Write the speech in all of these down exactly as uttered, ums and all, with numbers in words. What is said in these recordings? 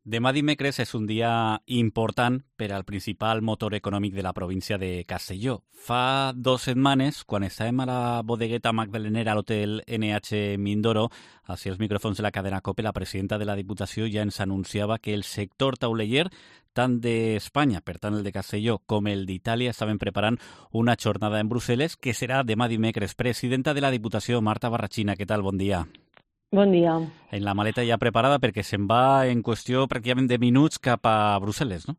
Demà dimecres és un dia important per al principal motor econòmic de la província de Castelló. Fa dues setmanes, quan estàvem a la bodegueta magdalenera a l'hotel N H Mindoro, hacia els micròfons de la cadena COPE, la presidenta de la Diputació ja ens anunciava que el sector tauleller, tant d'Espanya, per tant el de Castelló, com el d'Itàlia, estaven preparant una jornada en Brussel·les que serà demà dimecres. Presidenta de la Diputació, Marta Barrachina, què tal? Bon dia. Bon dia. En la maleta ja preparada perquè se'n va en qüestió pràcticament de minuts cap a Brussel·les, no?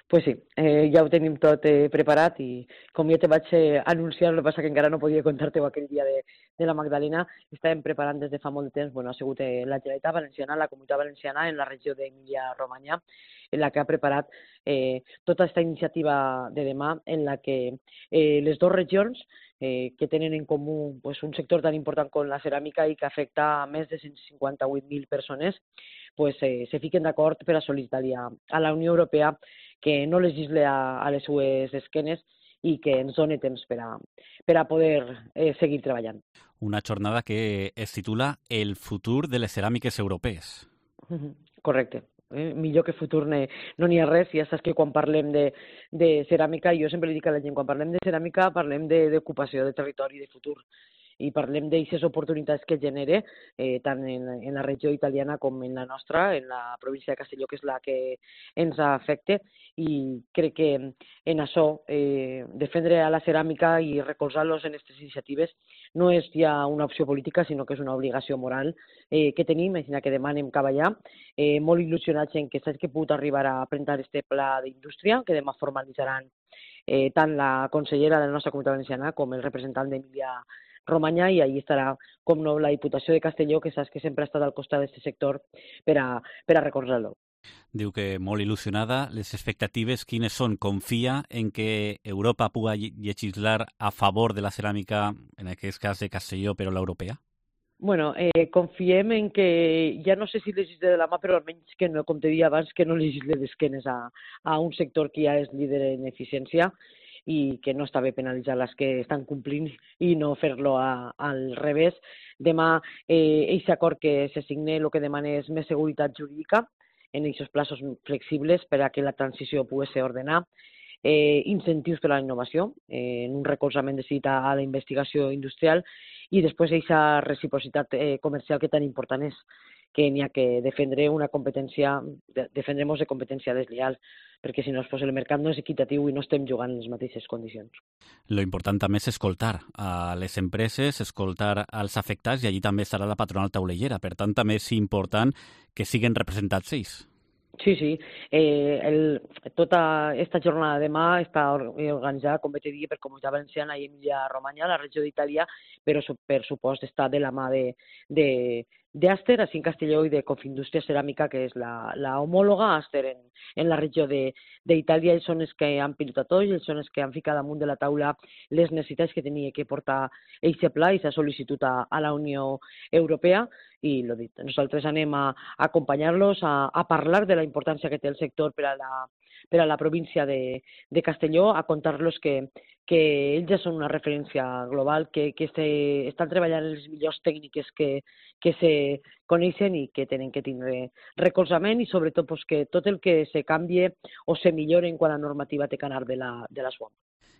Pues sí, eh, ja ho tenim tot eh, preparat i com jo te vaig eh, anunciar, el que passa que encara no podia contar-te-ho aquell dia de, de la Magdalena, estàvem preparant des de fa molt de temps, bueno, ha sigut eh, la Generalitat Valenciana, la Comunitat Valenciana, en la regió d'Emília-Romanya, en la que ha preparat eh, tota aquesta iniciativa de demà, en la que eh, les dues regions eh, que tenen en comú pues, un sector tan important com la ceràmica i que afecta a més de cent cinquanta-vuit mil persones, pues, eh, se fiquen d'acord per a sol·licitar-li a, a la Unió Europea que no legisle a, a les seues esquenes i que ens doni temps per a, per a poder eh, seguir treballant. Una jornada que es titula El futur de les ceràmiques europees. Correcte. Eh? Millor que futur ne, no n'hi ha res. Ja saps que quan parlem de, de ceràmica, jo sempre li dic a la gent, quan parlem de ceràmica parlem d'ocupació, de, de territori, de futur. I parlem d'aquestes oportunitats que genera eh, tant en, en la regió italiana com en la nostra, en la província de Castelló, que és la que ens afecta, i crec que en això eh, defendre a la ceràmica i recolzar-los en aquestes iniciatives no és ja una opció política, sinó que és una obligació moral eh, que tenim, és que demà anem cap allà, eh, molt il·lusionats en que saps que he pogut arribar a presentar este pla d'indústria, que demà formalitzaran eh, tant la consellera de la nostra Comunitat Valenciana com el representant d'Emília Romanya, i allí estarà, com no, la Diputació de Castelló, que saps que sempre ha estat al costat d'aquest sector per a, per a recolzar-lo. Diu que molt il·lusionada. Les expectatives quines són? Confia en que Europa pugui legislar a favor de la ceràmica, en aquest cas de Castelló, però l'europea? Bueno, eh, confiem en que, ja no sé si legisle de la mà, però almenys que no, com te deia abans, que no legisle d'esquenes a, a un sector que ja és líder en eficiència i que no està bé penalitzar les que estan complint i no fer-lo al revés. Demà, eh, aquest acord que se signe el que demana és més seguretat jurídica en aquests plaços flexibles per a que la transició pugui ser ordenada, eh, incentius per a la innovació, eh, en un recolzament decidit a, a la investigació industrial i després aquesta reciprocitat eh, comercial que tan important és, que n'hi ha que defendre una competència, de, defendrem-nos de competència desleal, perquè si no pues, el mercat no és equitatiu i no estem jugant en les mateixes condicions. Lo important també és escoltar a les empreses, escoltar als afectats, i allí també estarà la patronal taulellera. Per tant, també és important que siguin representats ells. Sí, sí. Eh, el, tota aquesta jornada de demà està organitzada, com te digui, per Comunitat Valenciana i Emília-Romanya, la regió d'Itàlia, però per supost està de la mà de, de, d'Aster, així en Castelló, i de Confindústria Ceràmica, que és la, la homòloga Aster en, en la regió d'Itàlia. Ells són els que han pilotat tot, ells són els que han ficat damunt de la taula les necessitats que tenia que portar aquest pla i s'ha sol·licitat a, a la Unió Europea. I lo dit, nosaltres anem a, a acompanyar-los, a, a parlar de la importància que té el sector per a la, per a la província de, de Castelló, a contar-los que, que ells ja són una referència global, que, que se, estan treballant en les millors tècniques que, que se coneixen i que tenen que tindre recolzament i sobretot pues, que tot el que se canvie o se millore en quant a normativa té que anar de la, de la S U A M.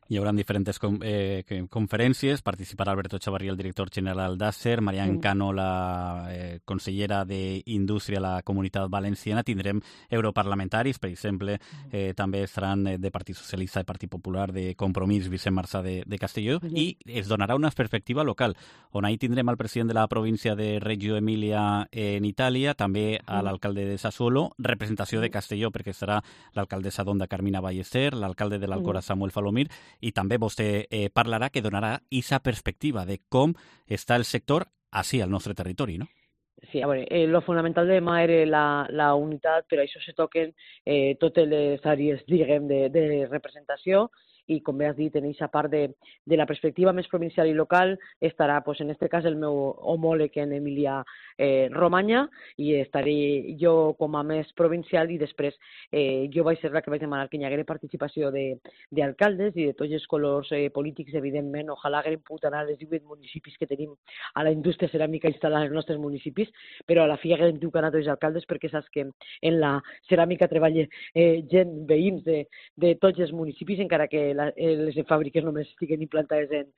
Hi haurà diferents com, eh, conferències, participarà Alberto Chavarría, el director general d'Acer, Marian Cano, la eh, consellera d'Indústria a la Comunitat Valenciana, tindrem europarlamentaris, per exemple, eh, també estaran de Partit Socialista, de Partit Popular, de Compromís, Vicent Marsà de, de Castelló, uh -huh. i es donarà una perspectiva local, on ahir tindrem al president de la província de Reggio Emilia en Itàlia, també a l'alcalde de Sassuolo, representació de Castelló, perquè estarà l'alcaldessa d'Onda, Carmina Ballester, l'alcalde de l'Alcora, Samuel Falomir, i també vostè eh, parlarà que donarà aquesta perspectiva de com està el sector així al nostre territori, no? Sí, a veure, eh, lo fonamental de demà era la, la unitat, però això se toquen eh, totes les àrees, diguem, de, de representació. i com bé has dit, en aquesta part de, de la perspectiva més provincial i local estarà, pues, en aquest cas, el meu homòleg en Emília eh, Romanya, i estaré jo com a més provincial, i després eh, jo vaig ser la que vaig demanar que hi haguera participació d'alcaldes i de tots els colors eh, polítics, evidentment. Ojalà haguem pogut anar a les divuit municipis que tenim a la indústria ceràmica instal·lada als nostres municipis, però a la fi haguem tingut que anar a tots els alcaldes, perquè saps que en la ceràmica treballa eh, gent, veïns de, de tots els municipis, encara que la, eh, les fàbriques només estiguen implantades en,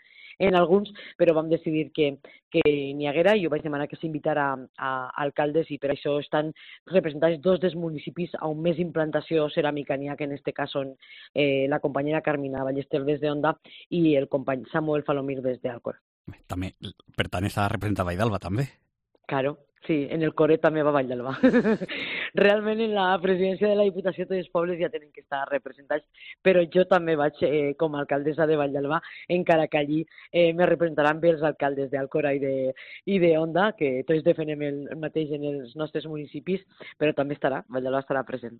en alguns, però vam decidir que, que n'hi haguera, i jo vaig demanar que s'invitara a, a alcaldes, i per això estan representats dos dels municipis on més implantació ceràmica n'hi ha, que en aquest cas són eh, la companyera Carmina Ballester des de Onda i el company Samuel Falomir des d'Alcor. També, per tant, està representada Valld'Alba, també. Claro. Sí, en el Coret també va Vall d'Alba. Realment en la presidència de la Diputació tots els pobles ja tenen que estar representats, però jo també vaig eh, com a alcaldessa de Vall d'Alba, encara que allí eh, me representaran bé els alcaldes d'Alcora i de, i de Onda, que tots defenem el mateix en els nostres municipis, però també estarà, Vall d'Alba estarà present.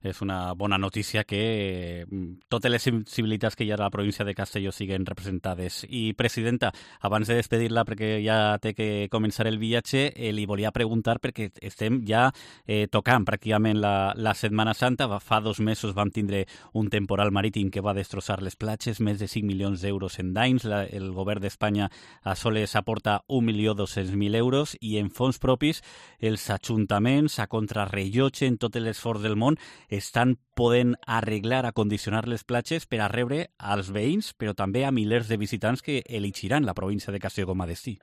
És una bona notícia que totes les sensibilitats que hi ha a la província de Castelló siguen representades. I, presidenta, abans de despedir-la, perquè ja té que començar el viatge, eh, li volia preguntar, perquè estem ja eh, tocant pràcticament la, la Setmana Santa. Fa dos mesos vam tindre un temporal marítim que va destrossar les platges, més de cinc milions d'euros en danys. La, el govern d'Espanya a soles aporta un milió dos-cents mil euros, i en fons propis els ajuntaments, a contrarrellotge en tot l'esforç del món, estan podent arreglar, acondicionar les platges per a rebre als veïns, però també a milers de visitants que elegiran la província de Castelló com a destí.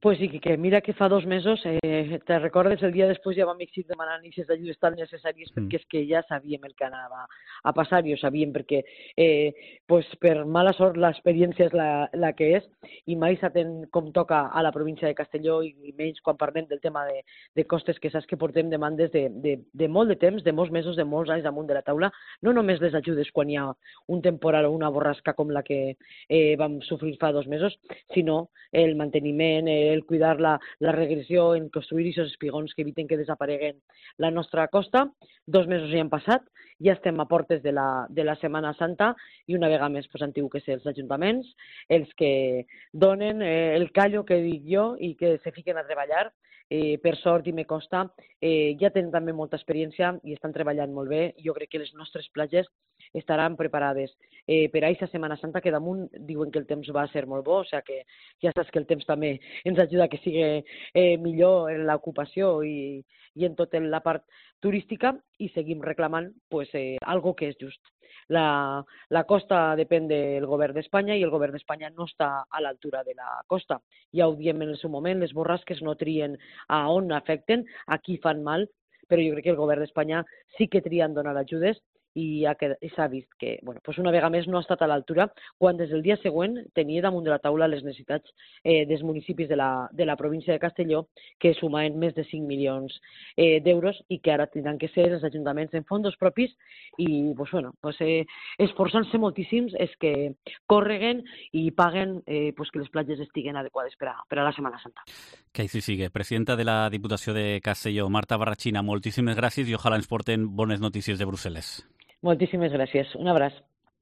Pues sí, que mira que fa dos mesos, eh, te recordes, el dia després ja vam exigir demanar aquestes ajudes tan necessàries, mm. perquè és que ja sabíem el que anava a passar, i ho sabíem perquè eh, pues per mala sort l'experiència és la, la que és, i mai s'atén com toca a la província de Castelló, i, i menys quan parlem del tema de, de costes, que saps que portem demandes de, de, de molt de temps, de molts mesos, de molts anys damunt de la taula, no només les ajudes quan hi ha un temporal o una borrasca com la que eh, vam sofrir fa dos mesos, sinó el manteniment, eh, el cuidar la, la regressió, en construir aquests espigons que eviten que desapareguen la nostra costa. Dos mesos ja han passat, ja estem a portes de la, de la Setmana Santa, i una vegada més pues, han tingut que ser els ajuntaments els que donen eh, el callo que dic jo i que se fiquen a treballar. Eh, per sort, i me costa, eh, ja tenen també molta experiència i estan treballant molt bé. Jo crec que les nostres platges estaran preparades eh, per a aquesta Setmana Santa, que damunt diuen que el temps va ser molt bo, o sigui que ja saps que el temps també ens ajuda a que sigui eh, millor en l'ocupació i, i en tota la part turística, i seguim reclamant pues, eh, algo que és just. La, la costa depèn del govern d'Espanya, i el govern d'Espanya no està a l'altura de la costa. Ja ho diem en el seu moment, les borrasques no trien a on afecten, a qui fan mal, però jo crec que el govern d'Espanya sí que trien donar ajudes, i s'ha vist que bueno, pues una vegada més no ha estat a l'altura, quan des del dia següent tenia damunt de la taula les necessitats eh, dels municipis de la, de la província de Castelló, que sumaven més de cinc milions eh, d'euros, i que ara tindran que ser els ajuntaments en fondos propis, i pues, bueno, pues, eh, esforçant-se moltíssims és que correguen i paguen eh, pues, que les platges estiguen adequades per a, per a la Setmana Santa. Que així sigui. Presidenta de la Diputació de Castelló, Marta Barrachina, moltíssimes gràcies, i ojalà ens porten bones notícies de Brussel·les. Moltíssimes gràcies. Un abraç.